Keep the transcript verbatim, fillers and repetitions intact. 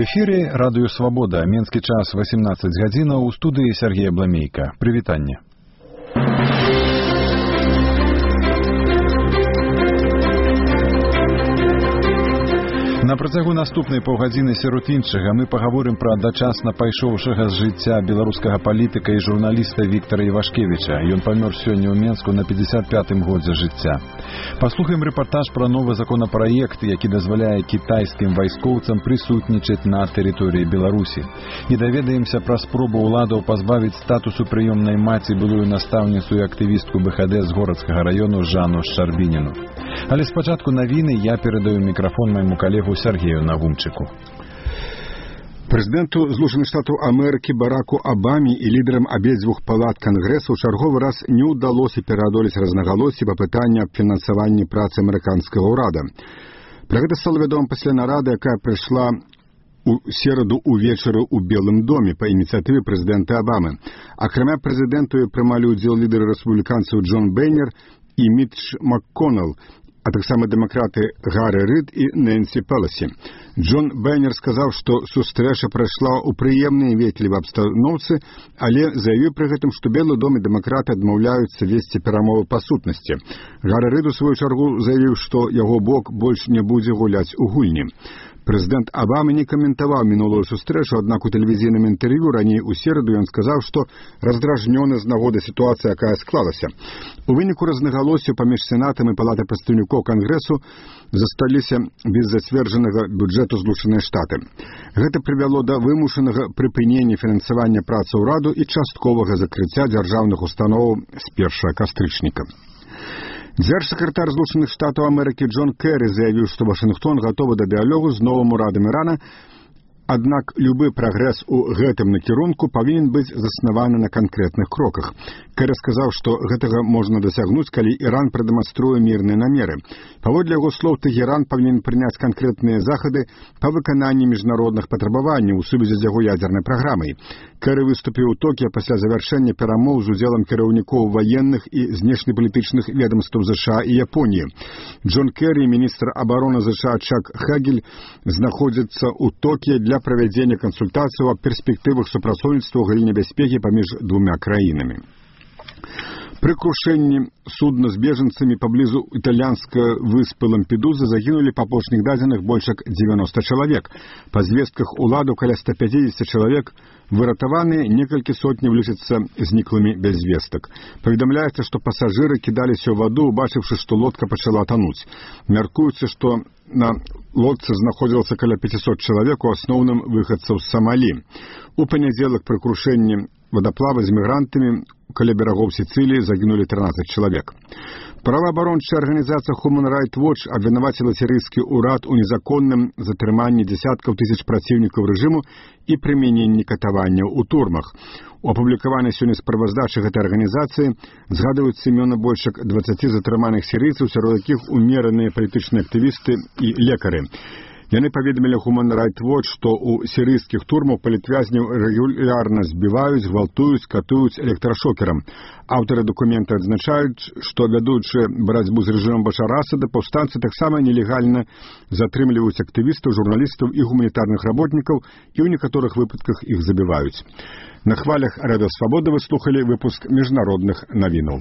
эфире радыё Свабода. Менскі час восемнадцать гадзінаў, у студыі Сергей Бламейка. Прывітанне. На працягу наступнай паўгадзіны сярод іншага мы пагаворым пра дачасна пайшоўшага з жыцця беларускага палітыка і журналіста Віктара Івашкевіча. Ён памёр сёння ў Менску на пятьдесят пятым годзе жыцця. Паслухаем рэпартаж пра новы законапраект, які дазваляе кітайскім вайскоўцам прысутнічаць на тэрыторыі Беларусі. І даведаемся пра спробу ўладаў пазбавіць статусу прыёмнай маці былую настаўніцу і актывістку бэ ха дэ з горацкага раёну Жанну Шчарбініну. Але спачатку навіны, я перадаю мікрафон майму калегу Сергею Нагумчыку. Прэзідэнту Злучаных Штатаў Амерыкі Бараку Абаме і лідарам абедзвюх палат Кангрэсу ў чарговы раз не ўдалося пераадолець рознагалоссі па пытанні аб фінансаванні працы амерыканскага ўрада. Пра гэта стала вядома пасля нарады, якая прайшла у сераду ўвечары ў Белым доме па ініцыятыве прэзідэнта Абамы. Акрамя прэзідэнту прымалі ўдзел лідары рэспубліканцаў Джон Бейнер і Мітч МакКоннелл, а таксама дэмакраты Гаррі Рид і Нэнсі Пеласі. Джон Бейнер сказаў, што сустрэча прайшла ў прыемнай ветлівай абстаноўцы, але заявіў пры гэтым, што Белы дом і дэмакраты адмаўляюцца весці перамовы па сутнасці. Гаррі Рид у сваю чаргу заявіў, што яго бок больш не будзе гуляць у гульні. Прэзідэнт Абама не каментаваў мінулую сустрэчу, аднак у тэлевізійным інтэрв'ю раней у сераду ён сказаў, што раздражнёны з нагоды сітуацыі, якая склалася. У выніку рознагалоссяў паміж сенатам і палатай прадстаўнікоў Кангрэсу засталіся без зацверджанага бюджэту Злучаныя Штаты. Гэта прывяло да вымушанага прыпынення фінансавання працы ўраду і частковага закрыцця дзяржаўных установаў з першага кастрычніка. Дзяржсакратар Злучаных Штатаў Амерыкі Джон Кэрі заявіў, што Вашынгтон гатовы да дыялогу з новым урадам Ірана, аднак любы прагрэс у гэтым накірунку павінен быць заснаваны на канкрэтных кроках. Кэрі сказаў, што гэтага можна дасягнуць, калі Іран прадэманструе мірныя намеры. Паводле яго слоў, Тэгеран павінен прыняць канкрэтныя захады па выкананні міжнародных патрабаванняў у сувязі з яго ядзернай праграмай. Кэрі выступіў у Токіа пасля завяршэння перамоў з удзелам кіраўнікоў ваенных і знешнепалітычных ведамстваў зэша і Японіі. Джон Кэрі, міністр абароны зэша Чак Хагель, знаходзіцца ў Токіа для правядзення кансультацыяў аб перспектывах супрацоўніцтва ў галіне бяспекі паміж двумя краінамі. Пры крушэнні судна з бежанцамі паблізу італьянскай выспы Лампедузы загінулі па апошніх дадзеных больш як дзевяноста чалавек. Па звестках уладаў каля ста пятьдесят чалавек выратаваныя, некалькі сотняў лічацца зніклымі без звестак. Паведамляецца, што пасажыры кідаліся ў ваду, убачыўшы, што лодка пачала тануць. Мяркуецца, што на лодцы знаходзілася каля пятьсот чалавек, у асноўным выхадцаў з Самалі. У панядзелак пры крушэнні вадаплава з мігрантамі каля берагоў Сіцыліі загінулі трынаццаць чалавек. Праваабарончая арганізацыя Human Rights Watch абвінаваціла сірыйскі ўрад у незаконным затрыманні дзясяткаў тысяч праціўнікаў рэжыму і прымяненні катаванняў у турмах. У апублікаванай сёння справаздачы гэтай арганізацыі згадваюцца імёны больш як дваццаці затрыманых сірыйцаў, сярод якіх умераныя палітычныя актывісты і лекары. Яны паведамілі Human Rights Watch, што ў сірыйскіх турмах палітвязняў рэгулярна збіваюць, гвалтуюць, катуюць электрашокерам. Аўтары дакумента адзначаюць, што вядучы барацьбу з рэжымам Башара Асада, паўстанцы таксама нелегальна затрымліваюць актывістаў, журналістаў і гуманітарных работнікаў, і ў некаторых выпадках іх забіваюць. На хвалях Радыё Свабода вы слухалі выпуск міжнародных навінаў.